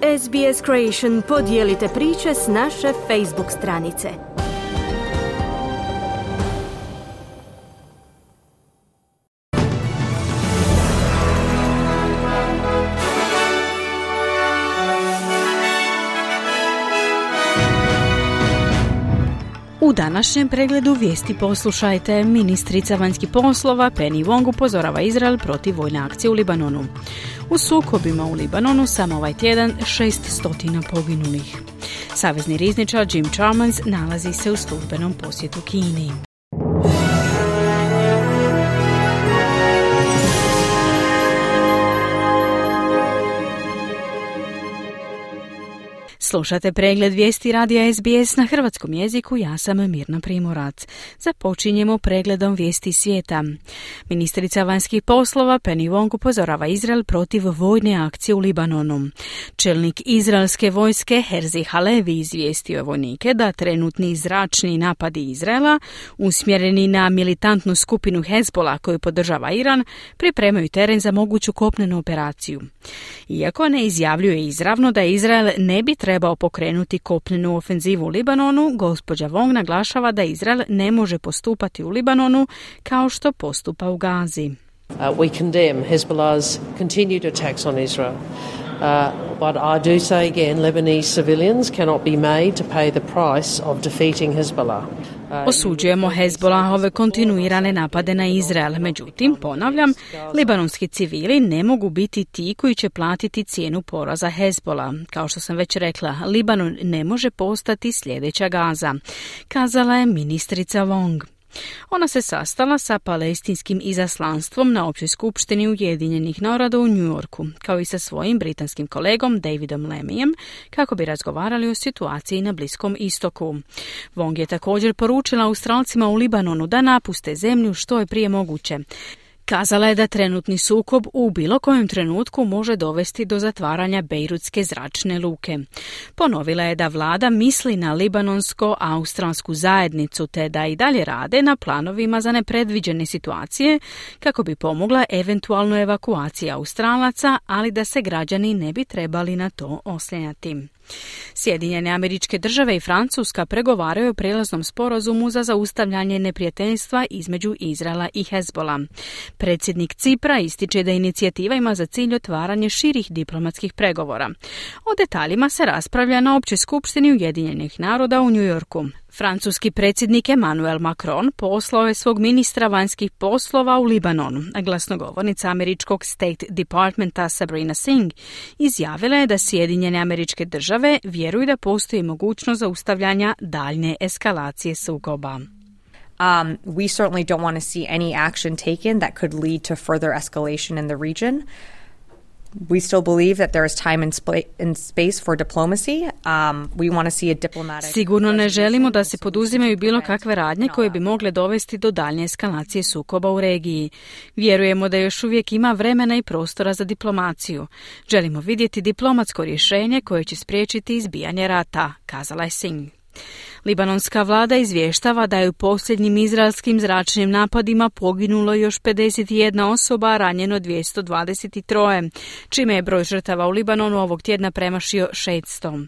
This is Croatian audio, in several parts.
SBS Creation, podijelite priče s naše Facebook stranice. U današnjem pregledu vijesti poslušajte. Ministrica vanjskih poslova Penny Wong upozorava Izrael protiv vojne akcije u Libanonu. U sukobima u Libanonu samo ovaj tjedan 600 poginulih. Savezni rizničar Jim Chalmers nalazi se u službenom posjetu Kini. Slušate pregled vijesti radija SBS na hrvatskom jeziku, ja sam Mirna Primorac. Započinjemo pregledom vijesti svijeta. Ministrica vanjskih poslova Penny Wong upozorava Izrael protiv vojne akcije u Libanonu. Čelnik izraelske vojske Herzi Halevi izvijestio je vojnike da trenutni zračni napadi Izraela, usmjereni na militantnu skupinu Hezbola koju podržava Iran, pripremaju teren za moguću kopnenu operaciju. Iako ne izjavljuje izravno da Izrael ne bi trebao pokrenuti kopnenu ofenzivu u Libanonu, gospođa Wong naglašava da Izrael ne može postupati u Libanonu kao što postupa u Gazi. We condemn Hezbollah's continued attacks on Israel. But I do say again, Lebanese civilians cannot be made to pay the price of defeating Hezbollah. Osuđujemo Hezbollahove kontinuirane napade na Izrael. Međutim, ponavljam, libanonski civili ne mogu biti ti koji će platiti cijenu poraza Hezbollah. Kao što sam već rekla, Libanon ne može postati sljedeća Gaza, kazala je ministrica Wong. Ona se sastala sa palestinskim izaslanstvom na općoj skupštini Ujedinjenih naroda u New Yorku, kao i sa svojim britanskim kolegom Davidom Lamijem, kako bi razgovarali o situaciji na Bliskom istoku. Wong je također poručila Australcima u Libanonu da napuste zemlju što je prije moguće. Kazala je da trenutni sukob u bilo kojem trenutku može dovesti do zatvaranja Bejrutske zračne luke. Ponovila je da vlada misli na libanonsko-australsku zajednicu te da i dalje rade na planovima za nepredviđene situacije kako bi pomogla eventualno evakuaciji Australaca, ali da se građani ne bi trebali na to oslanjati. Sjedinjene Američke Države i Francuska pregovaraju o prijelaznom sporazumu za zaustavljanje neprijateljstva između Izraela i Hezbola. Predsjednik Cipra ističe da inicijativa ima za cilj otvaranje širih diplomatskih pregovora. O detaljima se raspravlja na općoj skupštini Ujedinjenih naroda u New Yorku. Francuski predsjednik Emmanuel Macron poslao je svog ministra vanjskih poslova u Libanonu, a glasnogovornica američkog State Departmenta Sabrina Singh izjavila je da Sjedinjene Američke Države vjeruju da postoji mogućnost zaustavljanja daljnje eskalacije sukoba. We certainly don't want to see any action taken that could lead to further escalation in the region. We still believe that there is time and space for diplomacy. We want to see a diplomatic... Sigurno ne želimo da se poduzimaju bilo kakve radnje koje bi mogle dovesti do daljnje eskalacije sukoba u regiji. Vjerujemo da još uvijek ima vremena i prostora za diplomaciju. Želimo vidjeti diplomatsko rješenje koje će spriječiti izbijanje rata, kazala je Singh. Libanonska vlada izvještava da je u posljednjim izraelskim zračnim napadima poginulo još 51 osoba, a ranjeno 223, čime je broj žrtava u Libanonu ovog tjedna premašio 600.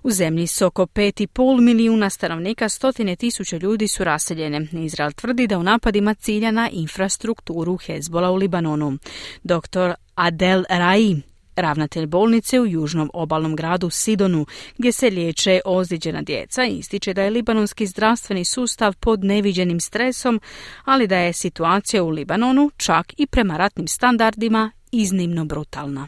U zemlji s oko 5,5 milijuna stanovnika 100.000 ljudi su raseljene. Izrael tvrdi da u napadima cilja na infrastrukturu Hezbola u Libanonu. Dr. Adel Rai, ravnatelj bolnice u južnom obalnom gradu Sidonu, gdje se liječe ozlijeđena djeca, ističe da je libanonski zdravstveni sustav pod neviđenim stresom, ali da je situacija u Libanonu, čak i prema ratnim standardima, iznimno brutalna.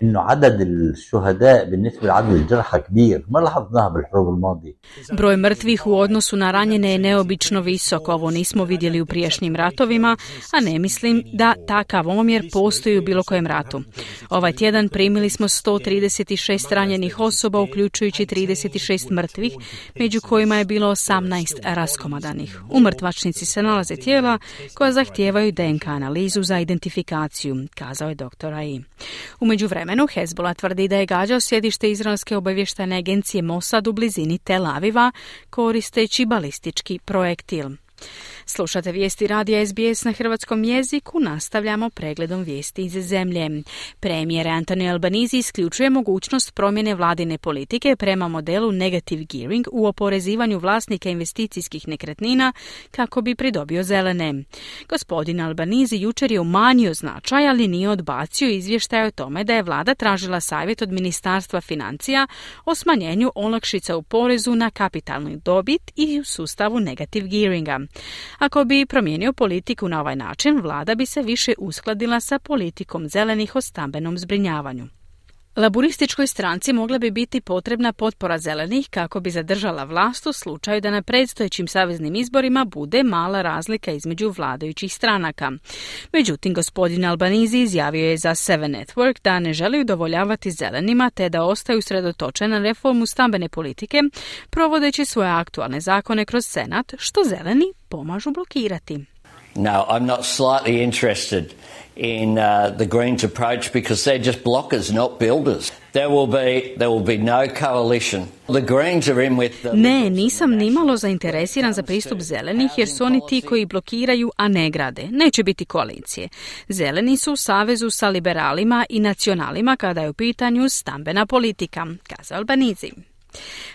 إنه عدد الشهداء بالنسبة لعدد الجرحى كبير ما لاحظناها بالحروب الماضية. Broj mrtvih u odnosu na ranjene je neobično visok. Ovo nismo vidjeli u prijašnjim ratovima, a ne mislim da takav omjer postoji u bilo kojem ratu. Ovaj tjedan primili smo 136 ranjenih osoba, uključujući 36 mrtvih, među kojima je bilo 18 raskomadanih. U mrtvačnici se nalaze tijela koja zahtijevaju DNK analizu za identifikaciju, kazao je dr. Ai. U međuvremenu Hezbollah tvrdi da je gađao sjedište izraelske obavještajne agencije Mossad u blizini Tel Aviva koristeći balistički projektil. Slušate vijesti radija SBS na hrvatskom jeziku, nastavljamo pregledom vijesti iz zemlje. Premijer Anthony Albanese isključuje mogućnost promjene vladine politike prema modelu negative gearing u oporezivanju vlasnika investicijskih nekretnina kako bi pridobio zelene. Gospodin Albanese jučer je umanjio značaj, ali nije odbacio izvještaj o tome da je vlada tražila savjet od Ministarstva financija o smanjenju olakšica u porezu na kapitalnu dobit i u sustavu negative gearinga. Ako bi promijenio politiku na ovaj način, vlada bi se više uskladila sa politikom zelenih o stambenom zbrinjavanju. Laburističkoj stranci mogla bi biti potrebna potpora zelenih kako bi zadržala vlast u slučaju da na predstojećim saveznim izborima bude mala razlika između vladajućih stranaka. Međutim, gospodin Albanese izjavio je za Seven Network da ne želi udovoljavati zelenima te da ostaju sredotočeni na reformu stambene politike, provodeći svoje aktualne zakone kroz Senat, što zeleni pomažu blokirati. No, I'm not slightly interested in the Greens approach because they're just blockers, not builders. There will be no coalition. The Greens are in with the... Ne, nisam nimalo zainteresiran za pristup zelenih jer su oni ti koji blokiraju, a ne grade. Neće biti koalicije. Zeleni su u savezu sa liberalima i nacionalima kada je u pitanju stambena politika, kazao Albanese.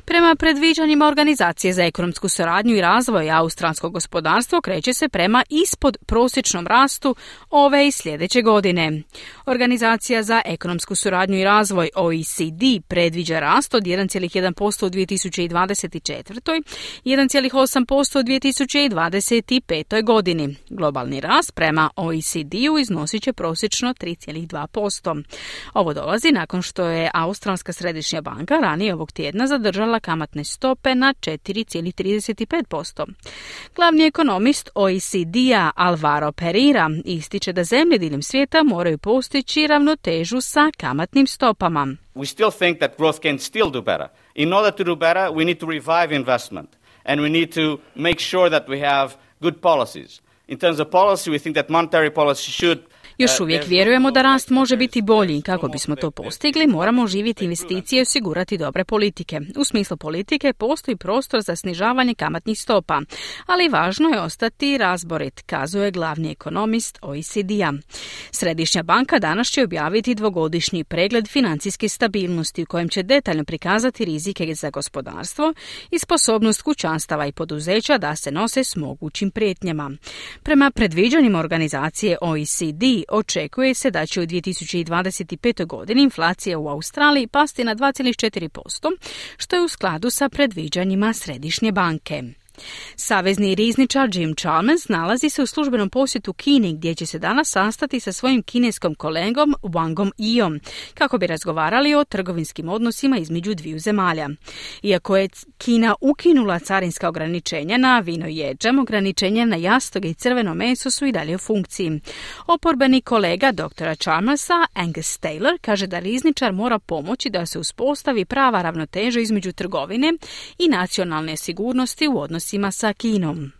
Prema predviđanjima Organizacije za ekonomsku suradnju i razvoj, australsko gospodarstvo kreće se prema ispod prosječnom rastu ove i sljedeće godine. Organizacija za ekonomsku suradnju i razvoj OECD predviđa rast od 1,1% u 2024. i 1,8% u 2025. godini. Globalni rast prema OECD-u iznosit će prosječno 3,2%. Ovo dolazi nakon što je Australska središnja banka ranije ovog tjedna zadržala kamatne stope na 4,35%. Glavni ekonomist OECD-a Alvaro Pereira ističe da zemlje diljem svijeta moraju postići ravnotežu sa kamatnim stopama. We still think that growth can still do better. In order to do better, we need to revive investment and we need to make sure that we have good policies. In terms of policy, we think that monetary policy should... Još uvijek vjerujemo da rast može biti bolji. Kako bismo to postigli, moramo oživjeti investicije i osigurati dobre politike. U smislu politike postoji prostor za snižavanje kamatnih stopa, ali važno je ostati razborit, kazuje glavni ekonomist OECD-a. Središnja banka danas će objaviti dvogodišnji pregled financijske stabilnosti u kojem će detaljno prikazati rizike za gospodarstvo i sposobnost kućanstava i poduzeća da se nose s mogućim prijetnjama. Prema predviđanjima organizacije OECD, očekuje se da će u 2025. godini inflacija u Australiji pasti na 2,4%, što je u skladu sa predviđanjima Središnje banke. Savezni rizničar Jim Chalmers nalazi se u službenom posjetu Kini gdje će se danas sastati sa svojim kineskom kolegom Wangom Yiom kako bi razgovarali o trgovinskim odnosima između dviju zemalja. Iako je Kina ukinula carinska ograničenja na vino i ječam, ograničenja na jastoge i crveno meso su i dalje u funkciji. Oporbeni kolega dr. Chalmersa, Angus Taylor, kaže da rizničar mora pomoći da se uspostavi prava ravnoteža između trgovine i nacionalne sigurnosti u odnosima sa Kinom.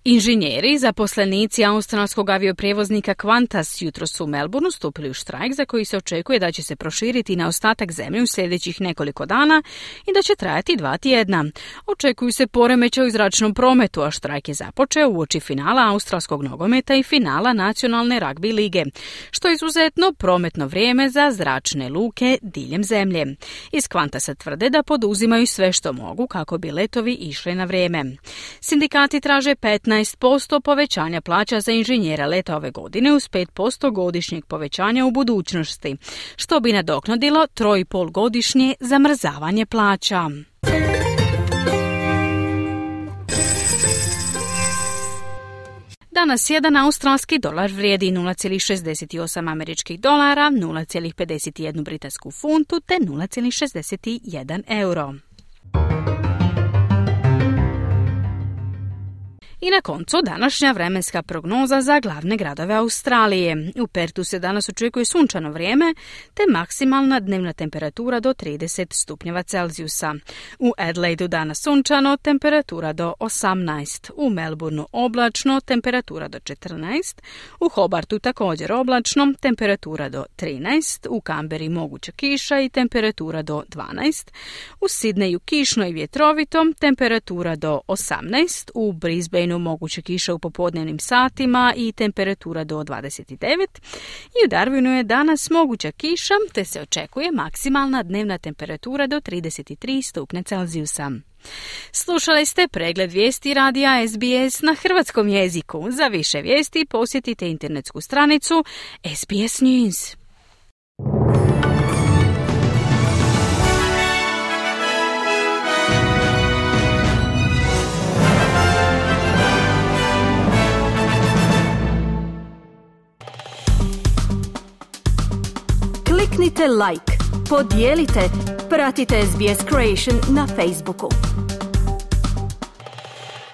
Inženjeri, zaposlenici australskog avioprijevoznika Qantas jutros su u Melbourneu stupili u štrajk za koji se očekuje da će se proširiti na ostatak zemlje u sljedećih nekoliko dana i da će trajati 2 tjedna. Očekuju se poremećaji u zračnom prometu, a štrajk je započeo uoči finala australskog nogometa i finala nacionalne ragbi lige, što je izuzetno prometno vrijeme za zračne luke diljem zemlje. Iz Qantasa tvrde da poduzimaju sve što mogu kako bi letovi išli na vrijeme. Sindikati traže 15% povećanja plaća za inženjera leta ove godine uz 5% godišnjeg povećanja u budućnosti, što bi nadoknadilo 3,5 godišnje zamrzavanje plaća. Danas jedan australski dolar vrijedi 0,68 američkih dolara, 0,51 britansku funtu te 0,61 euro. I na koncu današnja vremenska prognoza za glavne gradove Australije. U Pertu se danas očekuje sunčano vrijeme te maksimalna dnevna temperatura do 30 stupnjeva Celzijusa. U Adelaidu danas sunčano, temperatura do 18. U Melbourneu oblačno, temperatura do 14. U Hobartu također oblačno, temperatura do 13. U Canberri moguća kiša i temperatura do 12. U Sydneyu kišno i vjetrovito, temperatura do 18. U Brisbaneu Queensbridgeu moguće kiše u popodnevnim satima i temperatura do 29. I u Darwinu je danas moguća kiša, te se očekuje maksimalna dnevna temperatura do 33 stupnja Celzijusa. Slušali ste pregled vijesti radija SBS na hrvatskom jeziku. Za više vijesti posjetite internetsku stranicu SBS News. Kliknite like, podijelite, pratite SBS Creation na Facebooku.